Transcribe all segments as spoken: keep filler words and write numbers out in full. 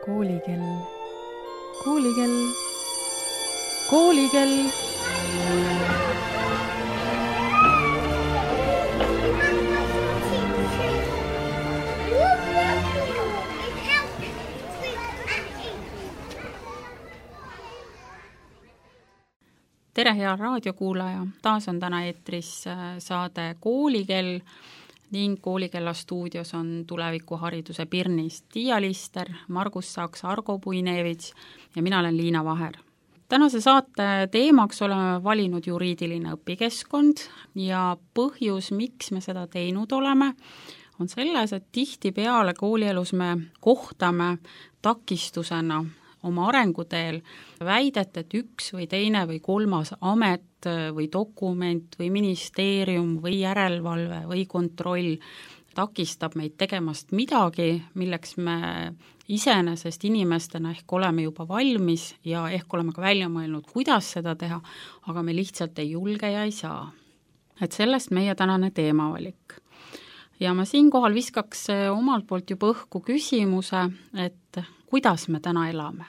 Koolikell, koolikell, koolikell. Tere, hea raadiokuulaja! Taas on täna eetris saade Koolikell ning Koolikella stuudios on tulevikuhariduse pirnist Tiia Lister, Margus Saks, Argo Puinevits ja mina olen Liina Vaher. Tänase saate teemaks oleme valinud juriidiline õpikeskkond ja põhjus, miks me seda teinud oleme, on selles, et tihtipeale koolielus me kohtame takistusena oma arenguteel väidet, et üks või teine või kolmas amet või dokument või ministeerium või järelevalve või kontroll takistab meid tegemast midagi, milleks me iseenesest inimestena ehk oleme juba valmis ja ehk oleme ka välja mõelnud, kuidas seda teha, aga me lihtsalt ei julge ja ei saa. Et sellest meie tänane teemavalik. Ja ma siinkohal viskaks omalt poolt juba õhku küsimuse, et kuidas me täna elame.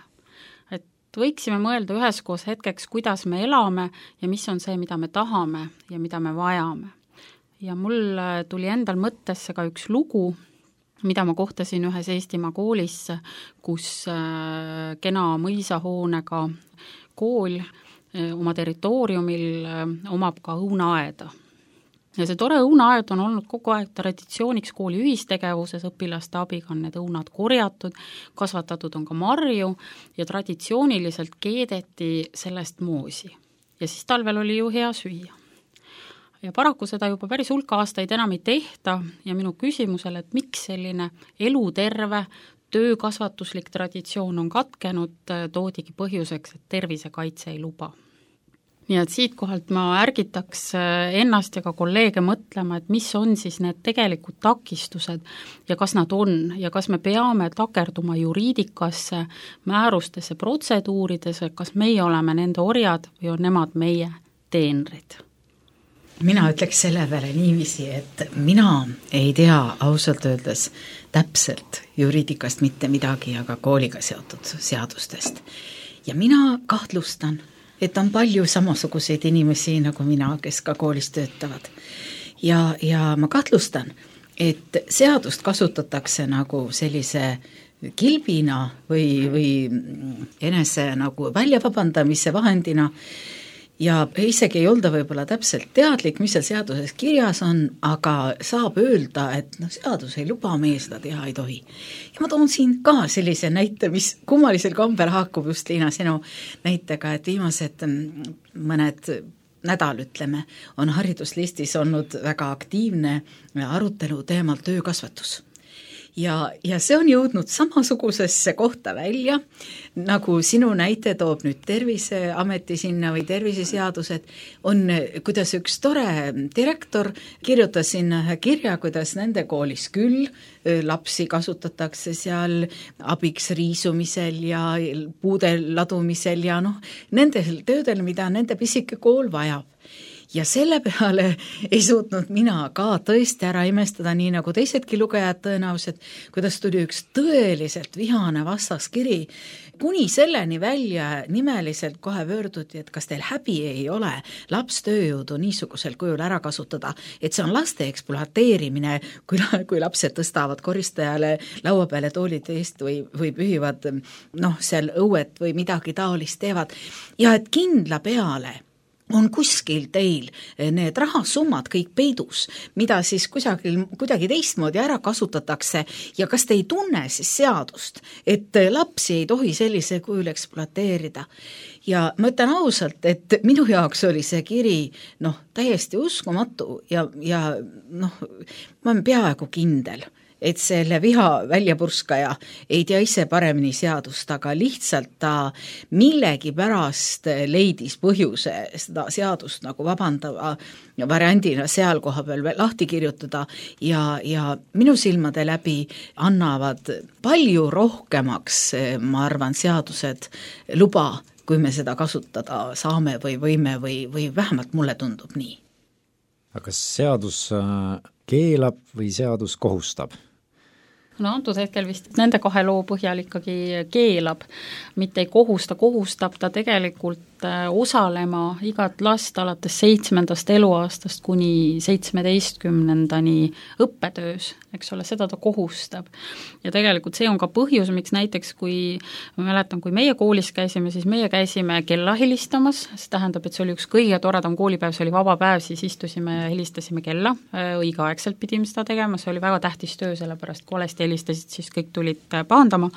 Et võiksime mõelda üheskoos hetkeks, kuidas me elame ja mis on see, mida me tahame ja mida me vajame. Ja mul tuli endal mõttesse ka üks lugu, mida ma kohtasin ühes Eestimaa koolis, kus kena mõisahoonega kool oma territooriumil omab ka õunaaeda. Ja see tore õunaaed on olnud kogu aeg traditsiooniks kooli ühistegevuses, õpilaste abiga on need õunad korjatud, kasvatatud on ka marju ja traditsiooniliselt keedeti sellest moosi. Ja siis talvel oli ju hea süüa. Ja paraku seda juba päris hulka aastaid enam ei tehta ja minu küsimusele, et miks selline eluterve töökasvatuslik traditsioon on katkenud, toodigi põhjuseks, et tervisekaitse ei luba. Nii et siit kohalt ma ärgitaks ennast ja ka kolleege mõtlema, et mis on siis need tegelikud takistused ja kas nad on ja kas me peame takerduma juriidikasse, määrustesse, protseduuridesse, kas meie oleme nende orjad või on nemad meie teenrid. Mina ütleks selle peale niiviisi, et mina ei tea ausalt öeldes täpselt juriidikast mitte midagi, aga kooliga seotud seadustest. Ja mina kahtlustan, et on palju samasuguseid inimesi nagu mina, kes ka koolis töötavad. Ja, ja ma kahtlustan, et seadust kasutatakse nagu sellise kilbina või, või enese nagu väljavabandamise vahendina ja isegi ei olda võib-olla täpselt teadlik, mis seal seaduses kirjas on, aga saab öelda, et no, seadus ei luba, meie seda teha ei tohi. Ja ma toon siin ka sellise näite, mis kummalisel kombel haakub just Liina sinu näitega, et viimased mõned nädal, ütleme, on hariduslistis olnud väga aktiivne arutelu teemal töökasvatus. Ja, ja see on jõudnud samasugusesse kohta välja, nagu sinu näite toob nüüd Terviseameti sinna või terviseseadused, on, kuidas üks tore direktor kirjutas sinna kirja, kuidas nende koolis küll lapsi kasutatakse seal abiks riisumisel ja puude ladumisel ja noh, nendel töödel, mida nende pisike kool vajab. Ja selle peale ei suutnud mina ka tõesti ära imestada, nii nagu teisedki lugejad tõenäoliselt, kuidas tuli üks tõeliselt vihane vastaskiri, kuni selleni välja nimeliselt kohe pöörduti, et kas teil häbi ei ole laps tööjõudu niisugusel kujul ära kasutada, et see on laste ekspluateerimine, kui, kui lapsed tõstavad koristajale laua peale toolid eest või, või pühivad noh, seal õuet või midagi taolist teevad ja et kindla peale on kuskil teil need rahasummad kõik peidus, mida siis kusagil, kuidagi teistmoodi ära kasutatakse ja kas te ei tunne siis seadust, et lapsi ei tohi sellise kujul ekspluateerida. Ja ma ütlen ausalt, et minu jaoks oli see kiri noh, täiesti uskumatu ja, ja noh, ma olen peaaegu kindel, et selle viha väljapurskaja ei tea ise paremini seadust, aga lihtsalt ta millegi pärast leidis põhjuse seda seadust nagu vabandava variandina seal koha peal lahti kirjutada ja, ja minu silmade läbi annavad palju rohkemaks, ma arvan, seadused luba, kui me seda kasutada saame või võime või, või vähemalt mulle tundub nii. Aga kas seadus keelab või seadus kohustab? no antud hetkel vist nende kahe loo põhjal ikkagi keelab, mitte ei kohusta, kohustab ta tegelikult osalema igat last alates seitsmendast eluaastast kuni seitsmeteistkümnendani õppetöös, eks ole, seda ta kohustab. Ja tegelikult see on ka põhjus, miks näiteks kui, ma mäletan, kui meie koolis käisime, siis meie käisime kella helistamas, see tähendab, et see oli üks kõige toredam koolipäev, see oli vaba päev, siis istusime ja helistasime kella, õigeaegselt pidime seda tegema, see oli väga tähtis töö, sellepärast kui valesti helistasid, siis kõik tulid pahandama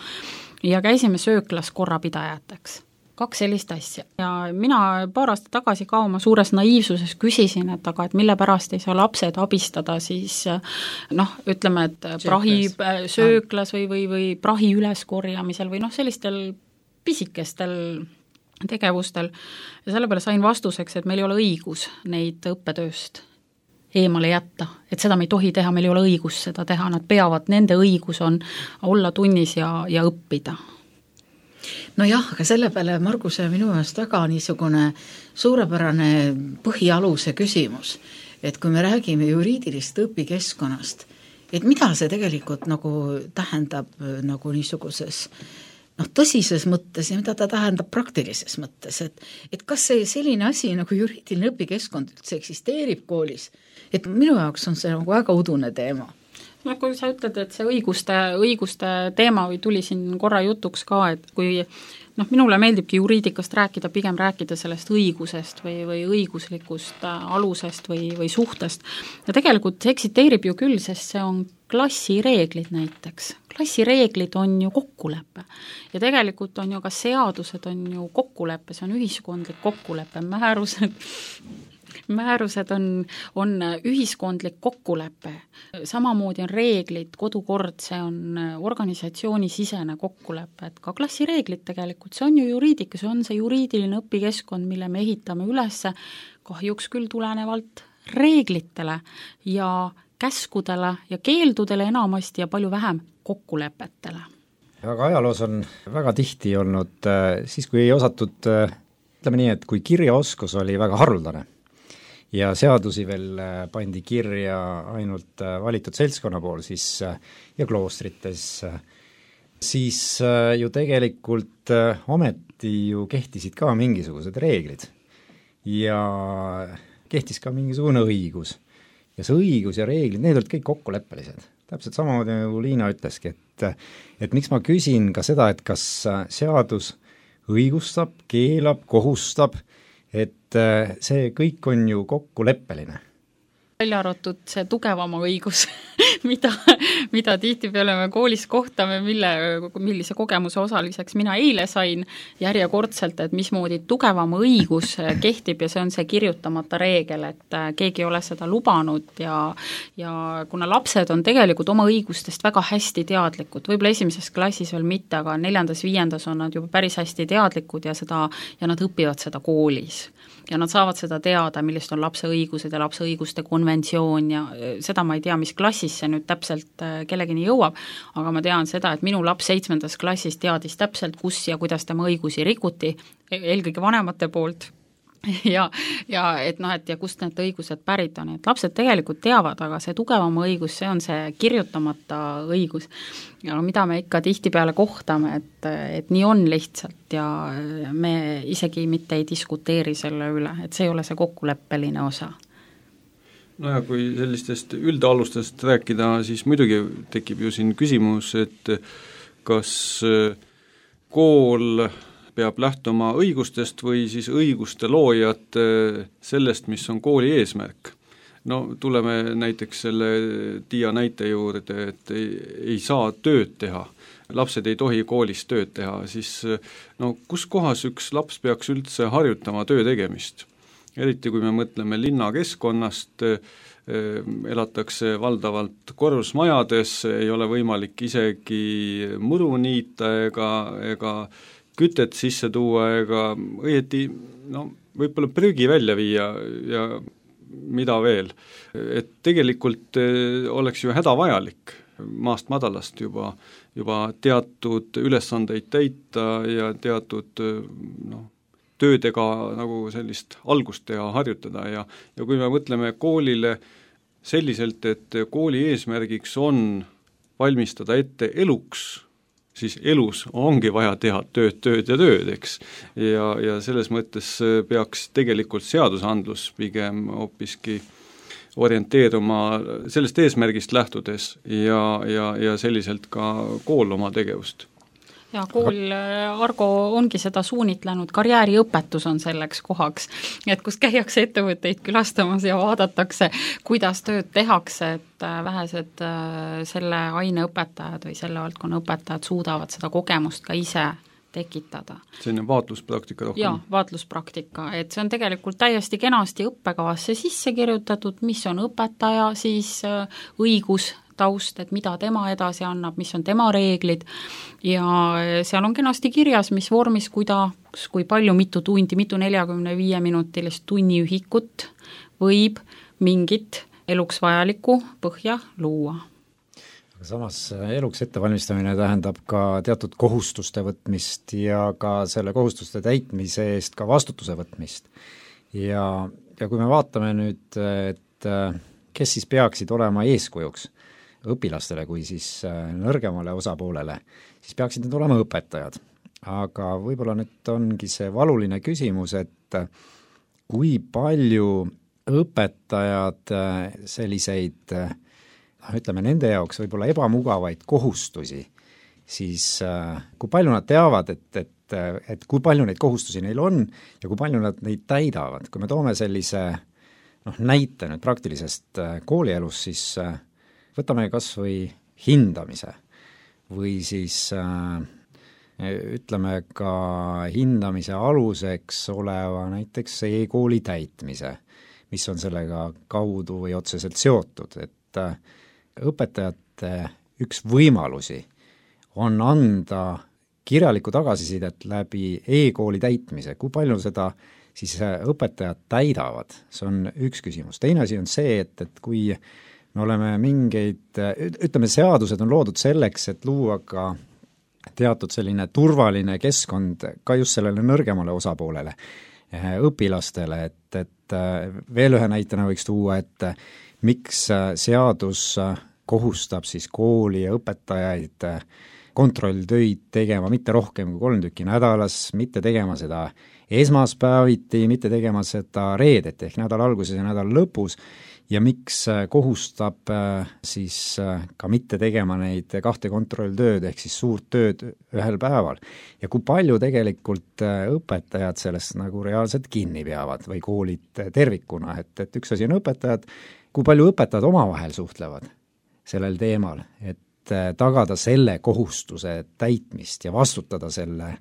ja käisime sööklas korrapidajateks. Kaks sellist asja. Ja mina paar aastat tagasi ka oma suures naiivsuses küsisin, et aga et mille pärast ei saa lapsed abistada siis noh, ütleme, et prahi sööklas või, või, või prahi üleskorjamisel või noh, sellistel pisikestel tegevustel. Ja selle peale sain vastuseks, et meil ei ole õigus neid õppetööst eemale jätta, et seda me ei tohi teha, meil ei ole õigus seda teha, nad peavad, nende õigus on olla tunnis ja, ja õppida. No jah, aga selle peale Marguse minu jaoks väga niisugune suurepärane põhialuse küsimus, et kui me räägime juriidilist õpikeskkonnast, et mida see tegelikult nagu tähendab nagu niisuguses noh, tõsises mõttes ja mida ta tähendab praktilises mõttes, et, et kas see selline asi nagu juriidiline õpikeskkond üldse eksisteerib koolis, et minu jaoks on see nagu väga udune teema. No kui sa ütled, et see õiguste, õiguste teema või tuli siin korra jutuks ka, et kui noh, minule meeldibki juriidikast rääkida, pigem rääkida sellest õigusest või, või õiguslikust alusest või, või suhtest. Ja tegelikult see eksiteerib ju küll, sest see on klassireeglid näiteks. Klassireeglid on ju kokkulepe. Ja tegelikult on ju ka seadused on ju kokkulepe, see on ühiskondlik kokkulepe, määrused määrused on, on ühiskondlik kokkulepe. Samamoodi on reeglid, kodukord, see on organisatsioonisisene kokkulepe, et ka klassireeglid tegelikult, see on ju juriidika, see on see juriidiline õpikeskkond, mille me ehitame üles kahjuks küll tulenevalt reeglitele ja käskudele ja keeldudele enamasti ja palju vähem kokkulepetele. Aga ajaloos on väga tihti olnud siis, kui ei osatud, ütleme nii, et kui kirjaoskus oli väga haruldane, ja seadusi veel pandi kirja ainult valitud seltskonna pool siis ja kloostrites, siis ju tegelikult ometi ju kehtisid ka mingisugused reeglid ja kehtis ka mingisugune õigus. Ja see õigus ja reeglid, need olid kõik kokkuleppelised. Täpselt samamoodi nagu Liina ütleski, et, et miks ma küsin ka seda, et kas seadus õigustab, keelab, kohustab, et see kõik on ju kokkuleppeline. Välja arvatud see tugevama õigus, mida, mida tihtipeale me koolis kohtame, mille, millise kogemuse osaliseks mina eile sain järjekordselt, et mismoodi tugevama õigus kehtib ja see on see kirjutamata reegel, et keegi ei ole seda lubanud ja, ja kuna lapsed on tegelikult oma õigustest väga hästi teadlikud, võib-olla esimeses klassis veel mitte, aga neljandas, viiendas on nad juba päris hästi teadlikud ja, seda, ja nad õpivad seda koolis. Ja nad saavad seda teada, millist on lapse õigused ja lapse õiguste konventsioon ja seda ma ei tea, mis klassis see nüüd täpselt kellegini jõuab, aga ma tean seda, et minu laps seitsmendas klassis teadis täpselt, kus ja kuidas tema õigusi rikuti, eelkõige vanemate poolt. Ja, ja et noh, et ja kust need õigused pärit on, et lapsed tegelikult teavad, aga see tugevama õigus, see on see kirjutamata õigus. Ja mida me ikka tihtipeale kohtame, et, et nii on lihtsalt ja me isegi mitte ei diskuteeri selle üle, et see ei ole see kokkuleppeline osa. No ja kui sellistest üldalustest rääkida, siis muidugi tekib ju siin küsimus, et kas kool peab lähtuma õigustest või siis õiguste loojad sellest, mis on kooli eesmärk. No tuleme näiteks selle Tiia näite juurde, et ei, ei saa tööd teha, lapsed ei tohi koolis tööd teha, siis no kus kohas üks laps peaks üldse harjutama töö tegemist? Eriti kui me mõtleme linnakeskkonnast, elatakse valdavalt korrusmajades, ei ole võimalik isegi muru niita ega, ega kütet sisse tuua ega õieti no, võib-olla prügi välja viia ja mida veel. Et tegelikult oleks ju hädavajalik maast madalast juba, juba teatud ülesandeid täita ja teatud no, töödega nagu sellist algust teha, harjutada ja, ja kui me mõtleme koolile selliselt, et kooli eesmärgiks on valmistada ette eluks, siis elus ongi vaja teha tööd, tööd ja tööd, eks. ja, ja selles mõttes peaks tegelikult seadusandlus pigem hoopiski orienteeruma sellest eesmärgist lähtudes ja, ja, ja selliselt ka kool oma tegevust. Ja kool, Argo, ongi seda suunitlenud, karjääriõpetus on selleks kohaks, et kus käiakse ettevõtteid külastamas ja vaadatakse, kuidas tööd tehakse, et vähesed selle aine õpetajad või selle valdkonna õpetajad suudavad seda kogemust ka ise tekitada. Selline vaatluspraktika rohkem. Jaa, vaatluspraktika, et see on tegelikult täiesti kenasti õppekavasse sisse kirjutatud, mis on õpetaja, siis õigus, taust, et mida tema edasi annab, mis on tema reeglid ja seal on kenasti kirjas, mis vormis, kuidas, kui palju, mitu tundi, mitu neljakümne viie minutilist tunniühikut võib mingit eluks vajalikku põhja luua. Samas eluks ettevalmistamine tähendab ka teatud kohustuste võtmist ja ka selle kohustuste täitmise eest ka vastutuse võtmist. Ja, ja kui me vaatame nüüd, et kes siis peaksid olema eeskujuks õpilastele kui siis nõrgemale osapoolele, siis peaksid need olema õpetajad. Aga võib-olla nüüd ongi see valuline küsimus, et kui palju õpetajad selliseid ütleme, nende jaoks võib-olla ebamugavaid kohustusi, siis kui palju nad teavad, et, et, et kui palju neid kohustusi neil on ja kui palju nad neid täidavad. Kui me toome sellise noh, näite nüüd praktilisest koolielus, siis võtame kas või hindamise või siis ütleme ka hindamise aluseks oleva näiteks e-kooli täitmise, mis on sellega kaudu või otseselt seotud, et õpetajate üks võimalusi on anda kirjalikku tagasisidet läbi e-kooli täitmise, kui palju seda siis õpetajad täidavad, see on üks küsimus. Teine asi on see, et, et kui me oleme mingeid, ütleme, seadused on loodud selleks, et luua ka teatud selline turvaline keskkond ka just sellele nõrgemale osapoolele, õpilastele, et, et veel ühe näitena võiks tuua, et miks seadus kohustab siis kooli ja õpetajaid kontrolltöid tegema mitte rohkem kui kolm tükki nädalas, mitte tegema seda esmaspäeviti, mitte tegema seda reedeti ehk nädala alguses ja nädala lõpus ja miks kohustab siis ka mitte tegema neid kahte kontrolltööd ehk siis suurt tööd ühel päeval. Ja kui palju tegelikult õpetajad sellest nagu reaalselt kinni peavad või koolid tervikuna, et, et üks asi on õpetajad, kui palju õpetajad omavahel suhtlevad sellel teemal, et tagada selle kohustuse täitmist ja vastutada selle,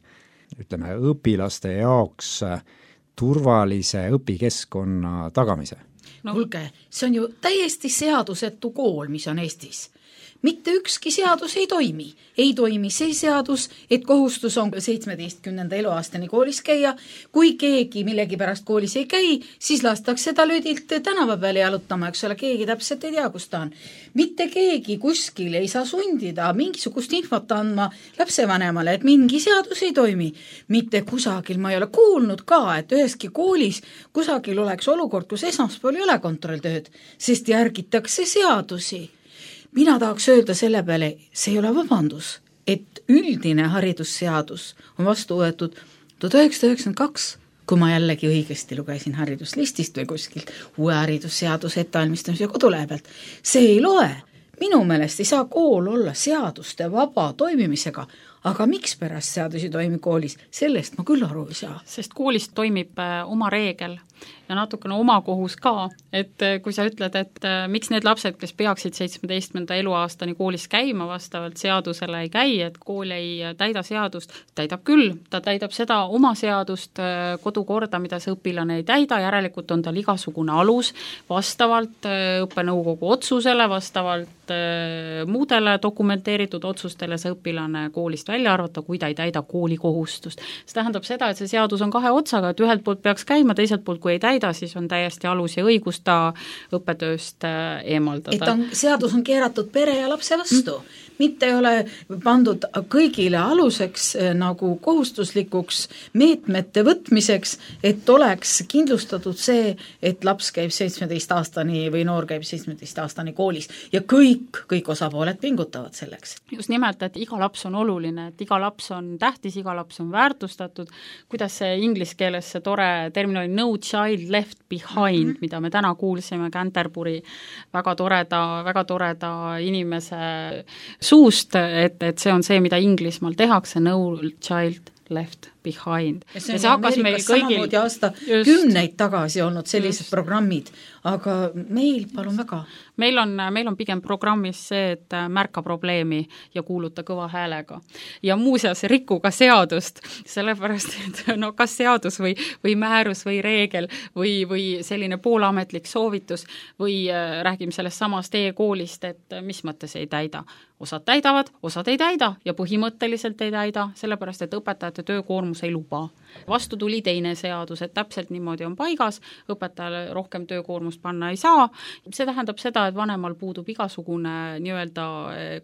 ütleme, õpilaste jaoks turvalise õpikeskkonna tagamise. No kuulge, see on ju täiesti seadusetu kool, mis on Eestis. Mitte ükski seadus ei toimi. Ei toimi see seadus, et kohustus on seitsmeteistkümnenda eluaastani koolis käia. Kui keegi millegi pärast koolis ei käi, siis lastakse ta löödilt tänava peale jalutama, eks ole, keegi täpselt ei tea, kus ta on. Mitte keegi kuskil ei saa sundida mingisugust infot andma lapsevanemale, et mingi seadus ei toimi. Mitte kusagil, ma ei ole kuulnud ka, et üheski koolis kusagil oleks olukord, kus esmaspäeval ei ole kontrolltööd, sest järgitakse seadusi. Mina tahaks öelda selle peale, see ei ole vabandus, et üldine haridusseadus on vastu võetud tuhat üheksasada üheksakümmend kaks, kui ma jällegi õigesti lugesin hariduslistist või kuskilt uue haridusseaduse ettevalmistamise kodulehe pealt. See ei loe. Minu meelest ei saa kool olla seaduste vaba toimimisega, aga miks pärast seadusi toimib koolis, sellest ma küll aru ei saa. Sest koolis toimib oma reegel ja natukene oma kohus ka, et kui sa ütled, et miks need lapsed, kes peaksid seitsmeteistkümnenda eluaastani koolis käima, vastavalt seadusele ei käi, et kool ei täida seadust, täidab küll, ta täidab seda oma seadust, kodukorda, mida see õpilane ei täida, järelikult on tal igasugune alus vastavalt õppenõukogu otsusele, vastavalt muudele dokumenteeritud otsustele see õpilane koolist välja arvata, kui ta ei täida kooli kohustust. See tähendab seda, et see seadus on kahe otsaga, et ühelt poolt peaks käima, teiselt poolt, kui ei täida, siis on täiesti alus ja õigus ta õppetööst eemaldada. Et on, seadus on keeratud pere ja lapse vastu. mitte ei ole pandud kõigile aluseks nagu kohustuslikuks meetmete võtmiseks, et oleks kindlustatud see, et laps käib seitsmeteistaastani või noor käib seitsmeteistaastani koolis ja kõik, kõik osapooled pingutavad selleks. Just nimelt, et iga laps on oluline, et iga laps on tähtis, iga laps on väärtustatud, kuidas see inglise keeles see tore termin oli no child left behind, mm -hmm. mida me täna kuulsime Canterbury väga toreda, väga toreda inimese suust, et, et see on see, mida Inglismaal tehakse, no child left behind. Ja see on ja Ameerikas samamoodi aasta just, kümneid tagasi olnud sellised just. Programmid, aga meil, palun väga. Meil on, meil on pigem programmis see, et märka probleemi ja kuuluta kõva häälega. Ja muuseas riku ka seadust, sellepärast, et no kas seadus või, või määrus või reegel või, või selline poolametlik soovitus või äh, räägime sellest samast e-koolist, et mis mõttes ei täida. Osad täidavad, osad ei täida ja põhimõtteliselt ei täida, sellepärast, et õpetajate töökoormus ei luba. Vastu tuli teine seadus, et täpselt niimoodi on paigas, õpetajale rohkem töökoormust panna ei saa. See tähendab seda, et vanemal puudub igasugune nii-öelda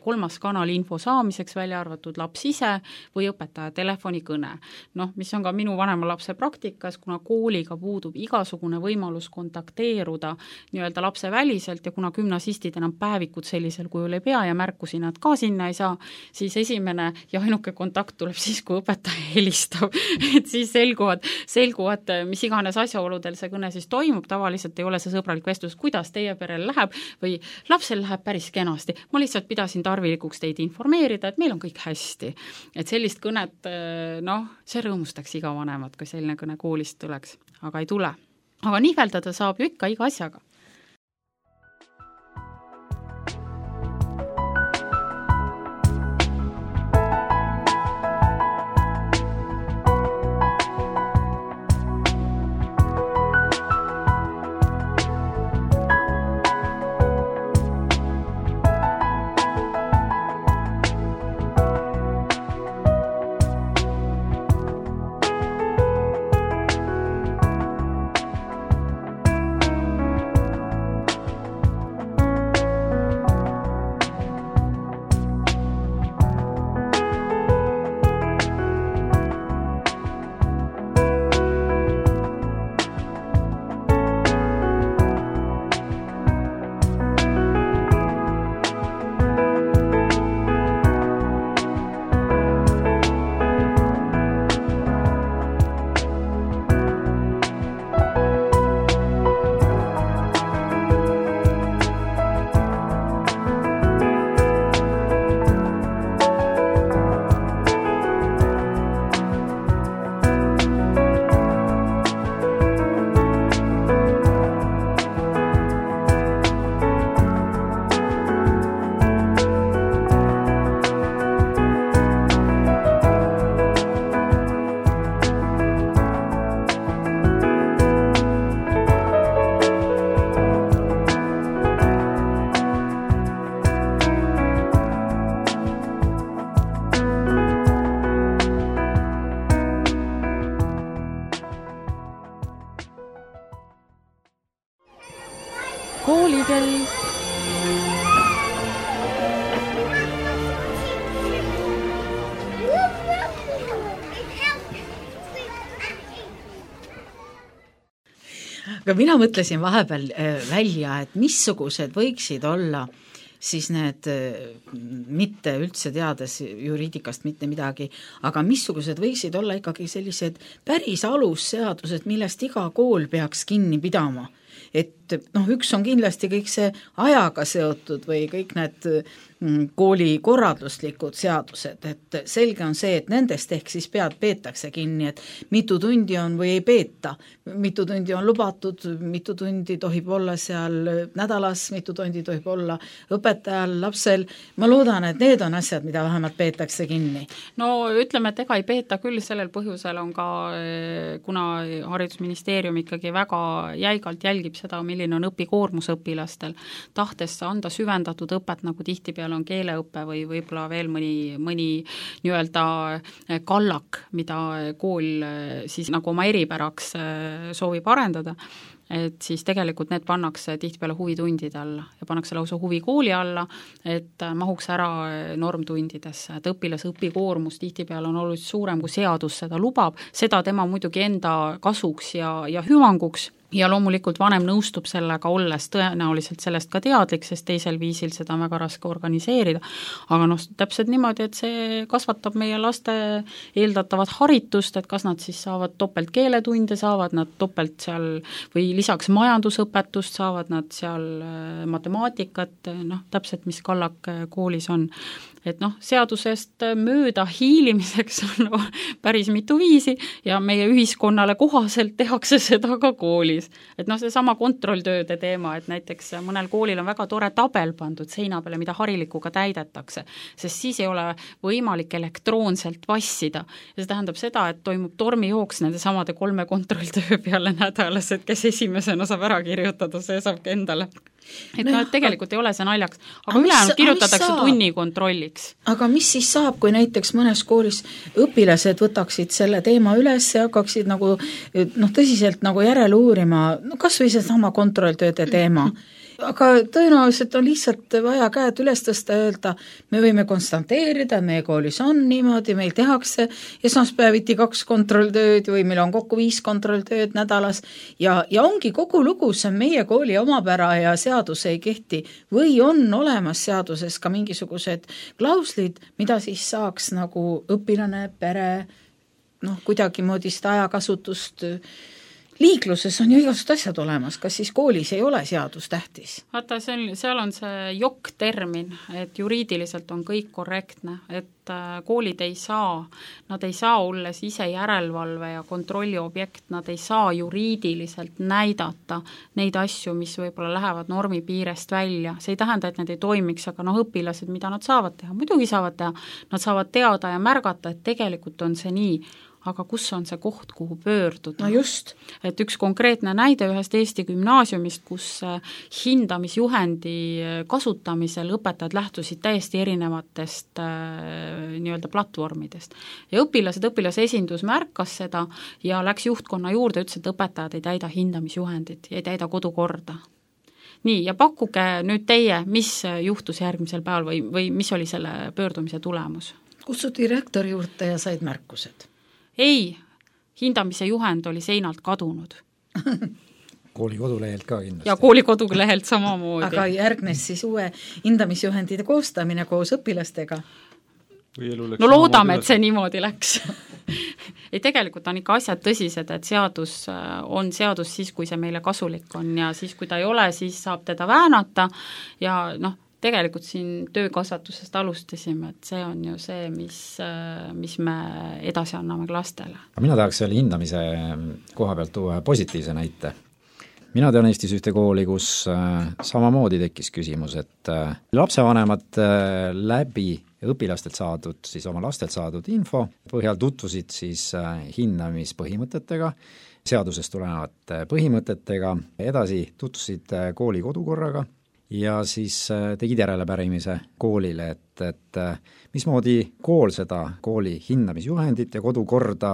kolmas kanal info saamiseks, välja arvatud laps ise või õpetaja telefonikõne. Noh, mis on ka minu vanema lapse praktikas, kuna kooliga puudub igasugune võimalus kontakteeruda nii-öelda lapse väliselt ja kuna gümnasistid enam päevikud sellisel kujul ei pea ja märkusi nad ka sinna ei saa, siis esimene ja ainuke kontakt tuleb siis, kui õpetaja helistab, et siis selguvad, selguvad, mis iganes asjaoludel see kõne siis toimub, tavaliselt ei ole see sõbralik vestlus, kuidas teie perel läheb või lapsel läheb päris kenasti. Ma lihtsalt pidasin tarvilikuks teid informeerida, et meil on kõik hästi. Et sellist kõnet, noh, see rõõmustaks iga vanemat, kui selline kõne koolist tuleks, aga ei tule. Aga nihveldada saab ju ikka iga asjaga. Koolikell. aga mina mõtlesin vahepeal välja, et missugused võiksid olla siis need, mitte üldse teades juriidikast mitte midagi, aga missugused võiksid olla ikkagi sellised päris alusseadused, millest iga kool peaks kinni pidama. Et noh, üks on kindlasti kõik see ajaga seotud või kõik need kooli korralduslikud seadused, et selge on see, et nendest ehk siis pead peetakse kinni, et mitu tundi on või ei peeta, mitu tundi on lubatud, mitu tundi tohib olla seal nädalas, mitu tundi tohib olla õpetajal, lapsel. Ma loodan, et need on asjad, mida vähemalt peetakse kinni. No ütleme, et ega ei peeta küll, sellel põhjusel on ka, kuna haridusministeerium ikkagi väga jäigalt jälgib seda, milline on õpikoormus õpilastel, tahtes anda süvendatud õpet, nagu tihtipeale on keeleõppe või võib-olla veel mõni, mõni nii-öelda kallak, mida kool siis nagu oma eripäraks soovib arendada, et siis tegelikult need pannakse tihtipeale huvitundide alla ja pannakse lausa huvikooli alla, et mahuks ära normtundidesse, et õpilase õpikoormus tihtipeale on oluliselt suurem, kui seadus seda lubab, seda tema muidugi enda kasuks ja, ja hüvanguks, ja loomulikult vanem nõustub sellega, olles tõenäoliselt sellest ka teadlik, sest teisel viisil seda on väga raske organiseerida. Aga noh, täpselt niimoodi, et see kasvatab meie laste eeldatavat haritust, et kas nad siis saavad topelt keeletunde, saavad nad topelt seal või lisaks majandusõpetust, saavad nad seal matemaatikat, noh, täpselt mis kallak koolis on. Et noh, seadusest mööda hiilimiseks on päris mitu viisi ja meie ühiskonnale kohaselt tehakse seda ka koolis. Et noh, see sama kontrolltööde teema, et näiteks mõnel koolil on väga tore tabel pandud seina peale, mida harilikuga täidetakse, sest siis ei ole võimalik elektroonselt vassida. Ja see tähendab seda, et toimub tormijooks nende samade kolme kontrolltöö peale nädalas, et kes esimesena saab ära kirjutada, see saab ka endale. Et no, no, et tegelikult ei ole see naljaks, aga ülejäänud kirjutatakse tunni kontrolliks. Aga mis siis saab, kui näiteks mõnes koolis õpilased võtaksid selle teema üles ja hakkaksid nagu, noh, tõsiselt nagu järele uurima, no kas või see sama kontrolltööde teema, aga tõenäoliselt on lihtsalt vaja käed üles tõsta ja öelda, me võime konstanteerida, meie koolis on niimoodi, meil tehakse esmaspäeviti kaks kontrolltööd või meil on kokku viis kontrolltööd nädalas ja, ja ongi kogu lugu, see on meie kooli omapära ja seadus ei kehti või on olemas seaduses ka mingisugused klauslid, mida siis saaks nagu õpilane, pere, noh, kuidagi moodi seda ajakasutust liikluses on ju igasugused asjad olemas, kas siis koolis ei ole seadus tähtis? Vaata, see on, seal on see jokk-termin, et juriidiliselt on kõik korrektne, et koolid ei saa, nad ei saa olles ise järelevalve ja kontrolli objekt, nad ei saa juriidiliselt näidata neid asju, mis võib-olla lähevad normi piirest välja. See ei tähenda, et need ei toimiks, aga noh, õpilased, mida nad saavad teha, muidugi saavad teha, nad saavad teada ja märgata, et tegelikult on see nii, aga kus on see koht, kuhu pöörduda? No just. Et üks konkreetne näide ühest Eesti gümnaasiumist, kus hindamisjuhendi kasutamisel õpetajad lähtusid täiesti erinevatest äh, nii-öelda platvormidest. Ja õpilased, õpilase esindus märkas seda ja läks juhtkonna juurde, ütles, et õpetajad ei täida hindamisjuhendit ja ei täida kodukorda. Nii, ja pakkuge nüüd teie, mis juhtus järgmisel päeval või, või mis oli selle pöördumise tulemus? Kutsuti rektori juurde ja said märkused. Ei, hindamise juhend oli seinalt kadunud. Kooli kodulehelt ka kindlasti. Ja kooli kodulehelt samamoodi. Aga järgnes siis uue hindamisjuhendide koostamine koos õpilastega. No loodame, et see niimoodi läks. Ei, tegelikult on ikka asjad tõsised, et seadus on seadus siis, kui see meile kasulik on ja siis, kui ta ei ole, siis saab teda väänata ja noh, tegelikult siin töökasvatusest alustasime, et see on ju see, mis, mis me edasi anname lastele. Mina tahaks selle hindamise koha pealt tuua positiivse näite. Mina tean Eestis ühte kooli, kus samamoodi tekkis küsimus, et lapsevanemad läbi õpilastelt saadud, siis oma lastelt saadud info põhjal tutvusid siis hindamispõhimõtetega, seadusest tulenevate põhimõtetega, edasi tutvusid kooli kodukorraga, ja siis tegid järelepärimise koolile, et, et mismoodi kool seda kooli hindamisjuhendit ja kodukorda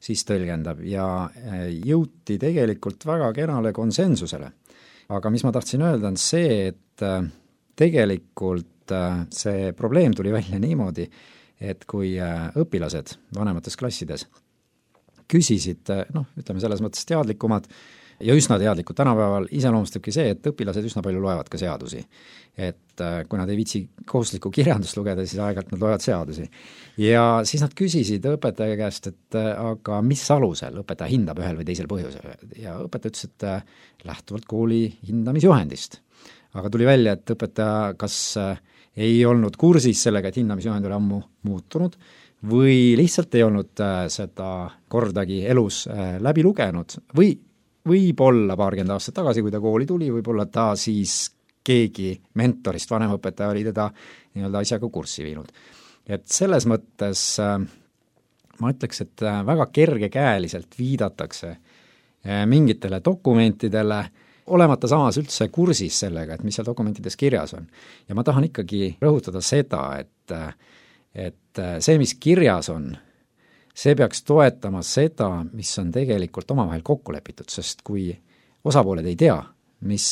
siis tõlgendab ja jõuti tegelikult väga kenale konsensusele. Aga mis ma tahtsin öelda on see, et tegelikult see probleem tuli välja niimoodi, et kui õpilased vanemates klassides küsisid, noh, ütleme selles mõttes teadlikumad, ja üsna teadlikud tänapäeval iseloomustabki see, et õpilased üsna palju loevad ka seadusi. Et kui nad ei viitsi kohustuslikku kirjandust lugeda, siis aeg-ajalt nad loevad seadusi. Ja siis nad küsisid õpetaja käest, et aga mis alusel õpetaja hindab ühel või teisel põhjusel. Ja õpetaja ütles, et lähtuvalt kooli hindamisjuhendist. Aga tuli välja, et õpetaja kas ei olnud kursis sellega, et hindamisjuhend oli ammu muutunud, või lihtsalt ei olnud seda kordagi elus läbi lugenud või võib-olla paarkümmend aastat tagasi, kui ta kooli tuli, võib-olla ta siis keegi mentorist, vanemõpetaja oli teda nii-öelda asjaga kurssi viinud. Et selles mõttes ma ütleks, et väga kergekäeliselt viidatakse mingitele dokumentidele, olemata samas üldse kursis sellega, et mis seal dokumentides kirjas on. Ja ma tahan ikkagi rõhutada seda, et, et see, mis kirjas on, see peaks toetama seda, mis on tegelikult omavahel kokku lepitud, sest kui osapooled ei tea, mis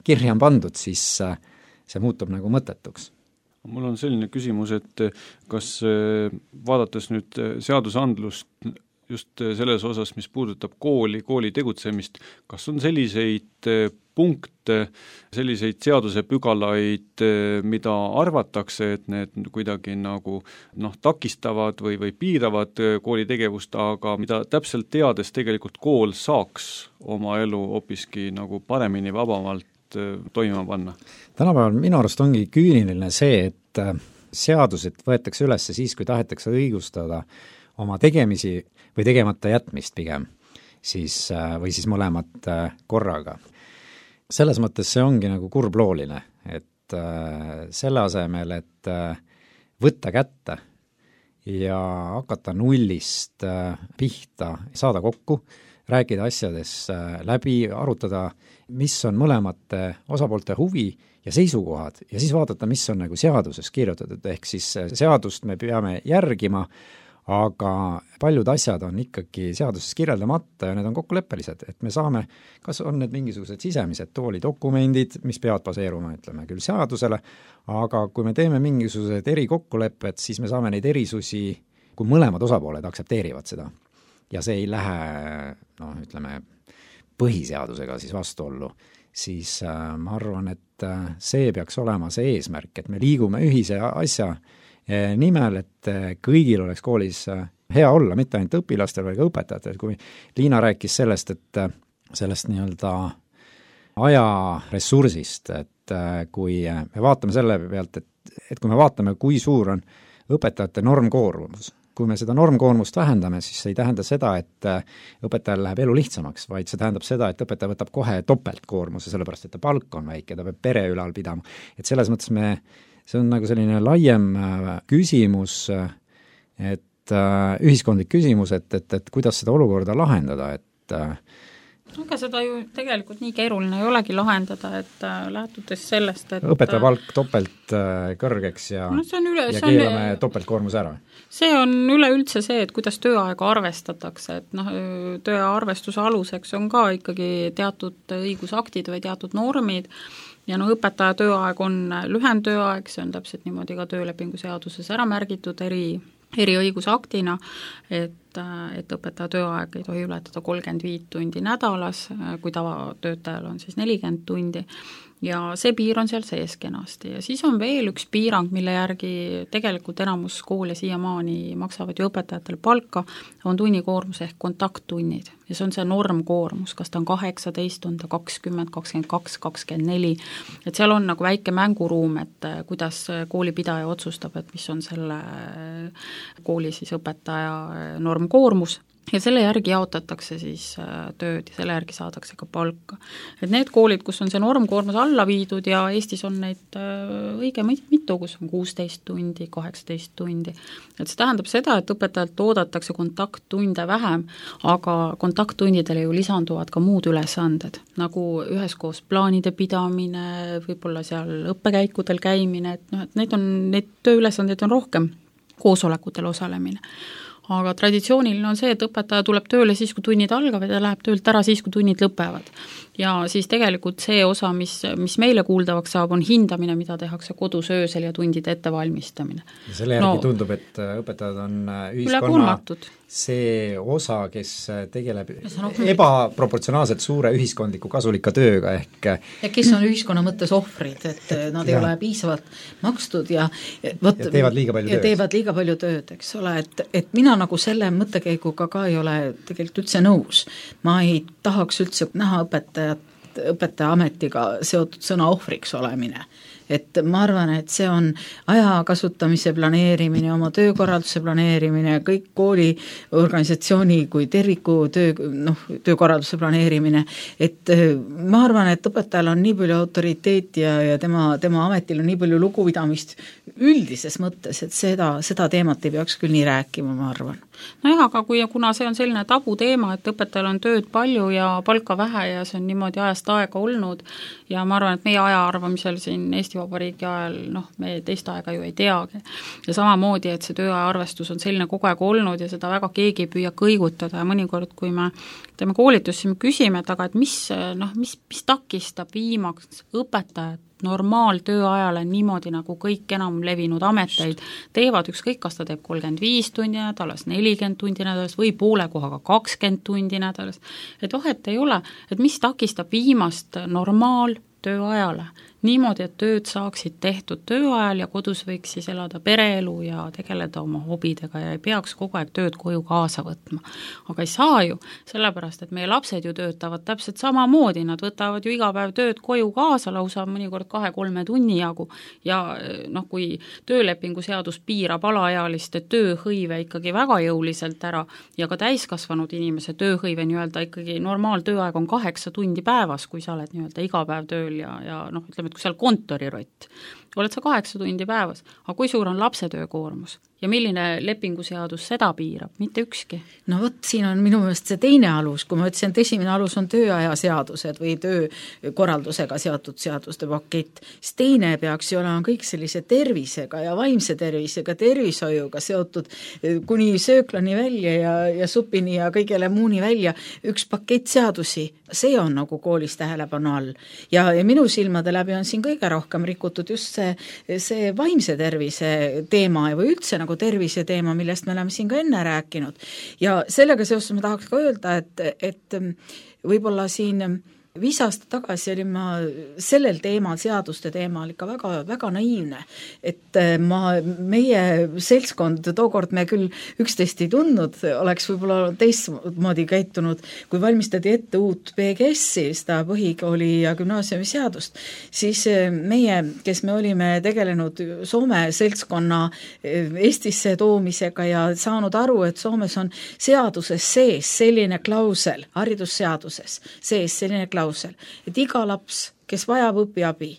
kirja on pandud, siis see muutub nagu mõttetuks. Mul on selline küsimus, et kas vaadates nüüd seadusandlust just selles osas, mis puudutab kooli, kooli tegutsemist, kas on selliseid punkte, selliseid seadusepügalaid, mida arvatakse, et need kuidagi nagu noh, takistavad või, või piiravad kooli tegevust, aga mida täpselt teades tegelikult kool saaks oma elu hoopiski nagu paremini, vabamalt toimima panna? Tänapäeval minu arust ongi küüniline see, et seadused võetakse üles siis, kui tahetakse õigustada oma tegemisi või tegemata jätmist pigem, siis, või siis mõlemat korraga. Selles mõttes see ongi nagu kurblooline, et selle asemel, et võtta kätte ja hakata nullist pihta, saada kokku, rääkida asjades läbi, arutada, mis on mõlemate osapoolte huvi ja seisukohad ja siis vaadata, mis on nagu seaduses kirjutatud, ehk siis seadust me peame järgima, aga paljud asjad on ikkagi seaduses kirjeldamata ja need on kokkuleppelised, et me saame, kas on need mingisugused sisemised toolidokumendid, mis peavad baseeruma, ütleme küll seadusele, aga kui me teeme mingisugused erikokkulepped, siis me saame neid erisusi, kui mõlemad osapooled aktsepteerivad seda. Ja see ei lähe, noh, ütleme, põhiseadusega siis vastuollu, siis äh, ma arvan, et äh, see peaks olema see eesmärk, et me liigume ühise asja nimel, et kõigil oleks koolis hea olla, mitte ainult õpilastel, või ka õpetajatel, kui Liina rääkis sellest, et sellest nii-öelda ajaressursist, et kui me vaatame selle pealt, et, et kui me vaatame, kui suur on õpetajate normkoormus, kui me seda normkoormust vähendame, siis see ei tähenda seda, et õpetajal läheb elu lihtsamaks, vaid see tähendab seda, et õpetaja võtab kohe topeltkoormuse, sellepärast et ta palk on väike, ta peab pere ülal pidama. Et selles mõttes me see on nagu selline laiem küsimus, et ühiskondlik küsimus, et, et, et kuidas seda olukorda lahendada, et aga seda ju tegelikult nii keeruline ei olegi lahendada, et lähtudes sellest, et õpetaja palk topelt kõrgeks ja, no üle, ja keelame on, topeltkoormuse ära. See on üleüldse see, et kuidas tööaega arvestatakse, et noh, tööaja arvestuse aluseks on ka ikkagi teatud õigusaktid või teatud normid, ja no õpetaja tööaeg on lühem tööaeg, see on täpselt niimoodi ka töölepingu seaduses ära märgitud eri, eri õigusaktina, et, et õpetaja tööaeg ei tohi ületada kolmkümmend viis tundi nädalas, kui tavatöötajal on siis nelikümmend tundi, ja see piir on seal sees kenasti. Ja siis on veel üks piirang, mille järgi tegelikult enamus koole siiamaani maksavad ju õpetajatele palka, on tunnikoormus ehk kontakttunnid. Ja see on see normkoormus, kas ta on kaheksateist tundi, kakskümmend, kakskümmend kaks, kakskümmend neli, et seal on nagu väike mänguruum, et kuidas koolipidaja otsustab, et mis on selle kooli siis õpetaja normkoormus. Ja selle järgi jaotatakse siis tööd ja selle järgi saadakse ka palka. Et need koolid, kus on see normkoormus alla viidud ja Eestis on neid õige mitu, kus on kuusteist tundi, kaheksateist tundi. Et see tähendab seda, et õpetajalt oodatakse kontakttunde vähem, aga kontakttundidele ju lisanduvad ka muud ülesanded, nagu üheskoos plaanide pidamine, võib-olla seal õppekäikudel käimine, et noh, et neid on, neid tööülesandeid on rohkem, koosolekutel osalemine. Aga traditsiooniline on see, et õpetaja tuleb tööle siis, kui tunnid algavad ja läheb töölt ära siis, kui tunnid lõpevad. Ja siis tegelikult see osa, mis, mis meile kuuldavaks saab, on hindamine, mida tehakse kodus öösel ja tundide ettevalmistamine. Ja selle järgi no, tundub, et õpetajad on ühiskonna see osa, kes tegeleb ebaproportsionaalselt suure ühiskondliku kasulika tööga ehk ja kes on ühiskonna mõttes ohvrid, et nad ei ja. ole piisavalt makstud ja, võt, ja teevad liiga palju ja tööd. teevad liiga palju tööd, eks ole, et, et mina nagu selle mõttekäiguga ka ei ole tegelikult üldse nõus. Ma ei tahaks üldse näha õpetajat, õpetaja ametiga seotud sõna ohvriks olemine. Et ma arvan, et see on aja kasutamise planeerimine, oma töökorralduse planeerimine, kõik kooli organisatsiooni kui terviku töö, noh, töökorralduse planeerimine, et ma arvan, et õpetajal on nii palju autoriteeti ja, ja tema, tema ametil on nii palju lugupidamist üldises mõttes, et seda, seda teemat ei peaks küll nii rääkima, ma arvan. Nojah, aga kui, kuna see on selline tabu teema, et õpetajal on tööd palju ja palka vähe ja see on niimoodi ajast aega olnud ja ma arvan, et meie aja arvamisel siin Eesti Eesti Vabariigi ajal, noh, me teist aega ju ei teagi. Ja samamoodi, et see tööaja arvestus on selline kogu aeg olnud ja seda väga keegi ei püüa kõigutada ja mõnikord, kui me teeme koolitusi, me küsime, et aga et mis, noh, mis, mis takistab viimaks õpetajat normaaltööajale niimoodi, nagu kõik enam levinud ameteid teevad, ükskõik, kas ta teeb kolmkümmend viis tundi nädalas, nelikümmend tundi nädalas või poole kohaga kakskümmend tundi nädalas, et vahet ei ole, et mis takistab viimast normaaltööajale, niimoodi, et tööd saaksid tehtud tööajal ja kodus võiks siis elada pereelu ja tegeleda oma hobidega ja ei peaks kogu aeg tööd koju kaasa võtma. Aga ei saa ju, sellepärast, et meie lapsed ju töötavad täpselt samamoodi, nad võtavad ju iga päev tööd koju kaasa, lausa mõnikord kahe-kolme tunni jagu ja noh, kui töölepingu seadus piirab alaealiste tööhõive ikkagi väga jõuliselt ära ja ka täiskasvanud inimese tööhõive nii-öelda ikkagi normaaltööaeg on kaheksa tundi päevas, kui sa oled nii-öelda iga päev tööl ja, ja noh, ütleme, et kui seal kontorirott, oled sa kaheksa tundi päevas, aga kui suur on lapse töökoormus ja milline lepinguseadus seda piirab, mitte ükski? No vot, siin on minu meelest see teine alus, kui ma ütlesin, et esimene alus on tööaja seadused või töökorraldusega seotud seaduste pakett, siis teine peaks ju olema kõik sellise tervisega ja vaimse tervisega, tervishoiuga seotud kuni sööklani välja ja, ja supini ja kõigele muuni välja, üks pakett seadusi, see on nagu koolis tähelepanu all. Ja, ja minu silmade läbi on siin kõige rohkem rikutud just see, see vaimse tervise teema või üldse nagu tervise teema, millest me oleme siin ka enne rääkinud. Ja sellega seoses ma tahaks ka öelda, et, et võib-olla siin viis aastat tagasi olin ma sellel teemal, seaduste teemal ikka väga, väga naiivne, et ma, meie seltskond, tookord me küll üksteist ei tundnud, oleks võib-olla teistmoodi käitunud, kui valmistati ette uut P G S-i, seda põhikooli ja gümnaasiumi seadust, siis meie, kes me olime tegelenud Soome seltskonna Eestisse toomisega ja saanud aru, et Soomes on seaduses sees selline klausel, haridusseaduses sees selline klausel, et iga laps, kes vajab õpiabi,